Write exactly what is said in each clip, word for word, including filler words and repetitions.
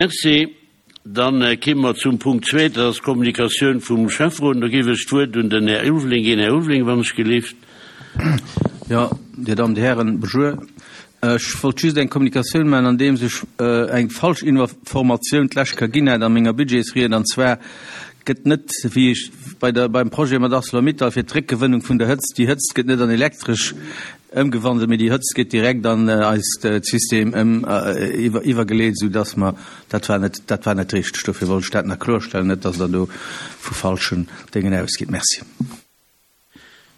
Merci. Dann kéime mer zum Punkt zwee, dat ass d'Kommunikatioun vum Schäfferot. Do géif ech d'Wuert un den Här Ulveling ginn. Här Ulveling, wann ech gelift. Jo, Dir Dammen, Dir Hären, bonjour. Ech wollt just eng Kommunikatioun maachen, andeems ech eng falsch Informatioun d'lescht Kéier ginn hat a menger Budgetsried, an zwar gëtt net, wéi ech bei der, beim Projet mat ArcelorMittal fir d'Réckgewënnung vun der Hëtzt, déi Hëtzt gëtt net an Elektresch ëmgewandelt, mee déi Hëtzt gëtt direkt an eist System ëm, iwwer, iwwergeleet, soudass mer, dat war net, dat war net richteg. Dofir wollt ech dat nach kloerstellen, net dass Der do vu falschen Déngen ausgitt. Merci.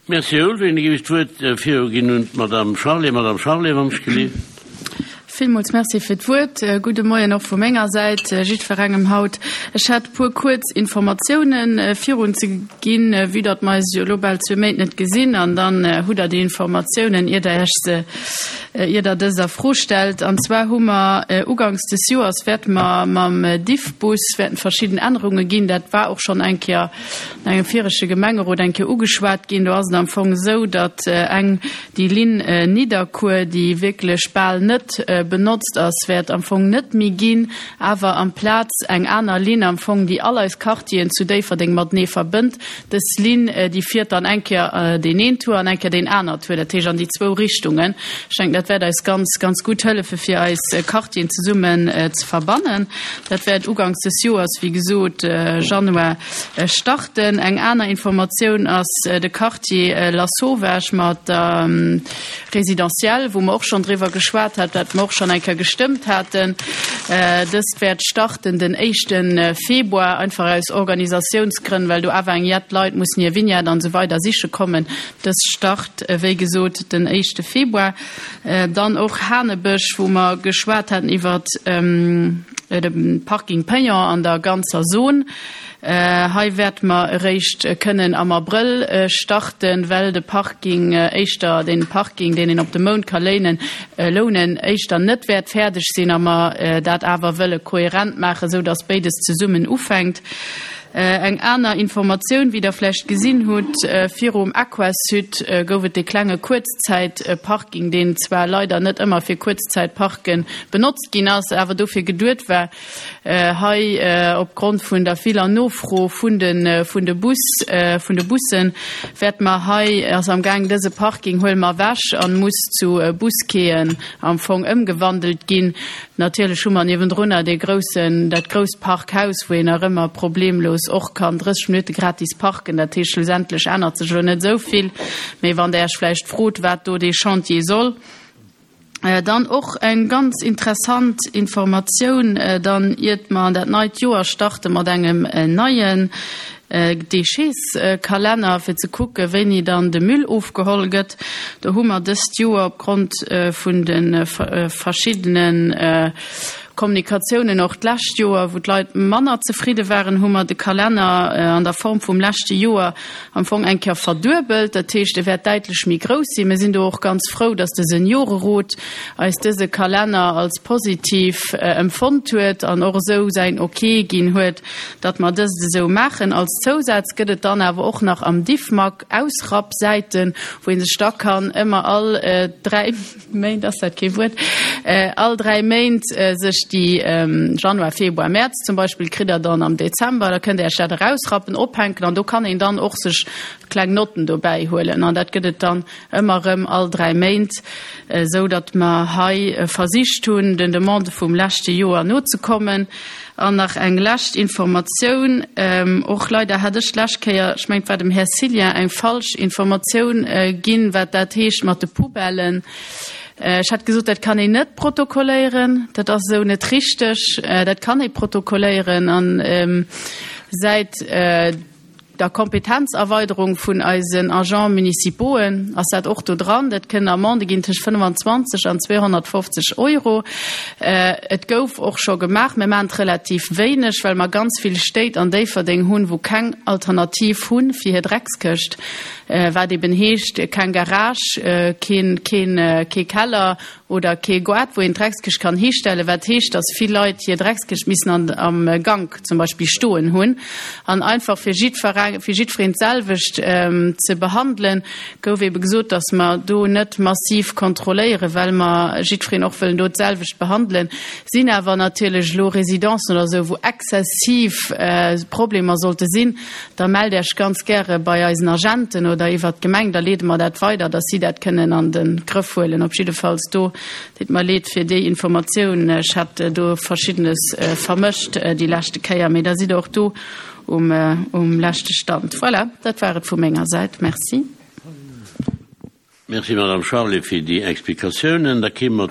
Merci, Här Ulveling. Da géif ech d'Wuert viruginn un d'Madame Charlé. Madame Charlé, wann ech gelift. Villmools Merci fir d'Wuert. Gudde Moien och vu menger Säit jiddwerengem haut. Ech hätt e puer kuerz Informatiounen virun ze ginn, vue datt mer eis jo elo bal zwee Méint net gesinn, an dann hutt Der déi Informatiounen, ier Der Iech se, ier Der dës a Fro stellt. An zwar hu mer uganks des Joers wäerte mer mam Diffbus wäerten verschidden Ännerunge ginn. Dat war och schonn eng Kéier an engem viregte Gemengerot eng Kéier ugeschwat ginn. Do ass et am Fong esou, datt eng déi Linn Nidderkuer, déi wierklech bal net benotzt ass, wäert am Fong net méi ginn, awer amplaz eng aner Linn am Fong, déi all eis Quartieren zu Déifferdeng matenee verbënnt. Dës Linn, déi fiert dann eng Kéier deen een Tour an eng Kéier deen aner Tour, dat heescht an déi zwou Richtungen. Ech denken, dat wäert eis ganz, ganz gutt hëllefe fir eis Quartieren zesummen ze verbannen. Dat wäert uganks des Joers, wéi gesot, Januar starten. Eng aner Informatioun ass de Quartier Lasauvage mat der Résidentielle, wou mer och schonn driwwer geschwat hat, wat mer och schonn eng Kéier gestëmmt haten. Dëst wäert starten den éischte Februar, einfach aus Organisatiounsgrënn, well do awer eng jett Leit mussen hir Vignette an esou weider siche kommen. Dës start, wéi gesot, den éischte Februar. Dann och Hanebësch, wou mer geschwat haten iwwert de Parking payant an der ganzer Zon. Hei wäerte mer eréischt kënnen am Abrëll starten, well de Parking éischter, deen Parking, deen een op de Mount ka léinen, lounen, éischter net wäert fäerdeg sinn a mer dat awer wëlle kohärent maachen, esou dass béides zesummen ufänkt. Eng aner Informatioun, wéi Der vläicht gesinn hutt, virum Aquasud gouf et dee klenge Kuerzzäitparking, deen zwar leider net ëmmer fir Kuerzzäitparke benotzt ginn ass, awer dofir geduet war. Hei, opgrond vun der viller Nofro vun de vun de Bus, vun de Bussen, wäerte mer hei, ass am Gaang, dëse Parking huele mer ewech an muss zu Busquaien am Fong ëmgewandelt ginn. Natierlech hu mer niewendrunner dee groussen, dat grousst Parkhaus, wou een nach ëmmer problemlos och kann drësseg Minutte gratis parken. Dat heescht, schlussendlech ännert sech elo net esou vill. Mee wann Der Iech vläicht frot, wat do dee Chantier soll. Dann och eng ganz interessant Informatioun, dann iert mer an dat neit Joer starte mat engem neien Déchets-Kalenner, fir ze kucke wéini dann de Müll ofgeholl gëtt. Do hu mer dëst Joer opgrond vun de verschiddene Kommunikatiounen och d'lescht Joer, wou d'Leit manner zefridde waren, hu mer de Kalenner an der Form vum leschte Joer am Fong eng Kéier verduebelt. Dat heescht, e wäert däitlech méi grouss sinn. Mir sinn do och ganz frou, dass de Seniorerot eis dëse Kalenner als positiv empfonnt huet an och esou säin Ok ginn huet, datt mer dëst esou maachen. Als Zousaz gëtt et dann awer och nach am Diffmag Ausrappsäiten, wou ee sech da kann ëmmer all dräi Méint, ass dat kee Wuert, all dräi Méint sech déi, Januar, Februar, Mäerz zum Beispill, kritt Der dann am Dezember, da kënnt Der Iech dat erausrappen, ophänken an do kann een dann och sech kleng Notten dobäi huelen an dat gëtt et dann ëmmer erëm all dräi Méint, esou datt mer hei versicht hunn, den Demandë vum leschte Joer nozekommen. An nach eng lescht Informatioun, och leider hat ech d'lescht Kéier, ech mengen et war dem Här Cillien, eng falsch Informatioun ginn, wat dat heescht mat de Poubellen. Ech hat gesot, dat kann een net protokolléieren. Dat ass esou net richteg. Dat kann ee protokolléieren. An säit der Kompetenzerweiderung vun eisen Agents municipauxen ass dat och do dran. Dat kënnen Amendë ginn tëscht fënnfanzwanzeg an zweehonnertfofzeg Euro. Et gouf och scho gemaach. Mir maachen et relativ wéineg, well mer ganz vill Stéit an Déifferdeng hunn, wou keng Alternativ hu fir hir Dreckskëscht. Wat eben heescht, keng Garage, keen, keen, kee Keller oder kee Goart, wou een d'Dreckskëscht kann histellen, wat heescht, dass vill Leit hir Dreckskëscht missen an, am Gank zum Beispill stoen hunn. An einfach fir jiddferengem fir jiddwereen d'selwecht ze behandelen, gouf ebe gesot, dass mer do net massiv kontrolléieren, well mer jiddwereen och wëllen do d'selwecht behandelen. Sinn awer natierlech elo Residencen oder esou, wou exzessiv Problemer sollte sinn, da mellt Iech ganz gäre bei eisen Agenten oder iwwert d'Gemeng, da leede mer dat weider, dass si dat kënnen an de Grëff huelen. Op jiddefalls do, deet mer leed fir déi Informatioun, ech hat do Verschiddenes vermëscht déi leschte Kéier, mee da sidd Der och do um, um leschte Stand. Voilà, dat war et vu menger Säit. Merci. Merci, Madame Charlé, fir déi Explikatiounen. Da kéime mer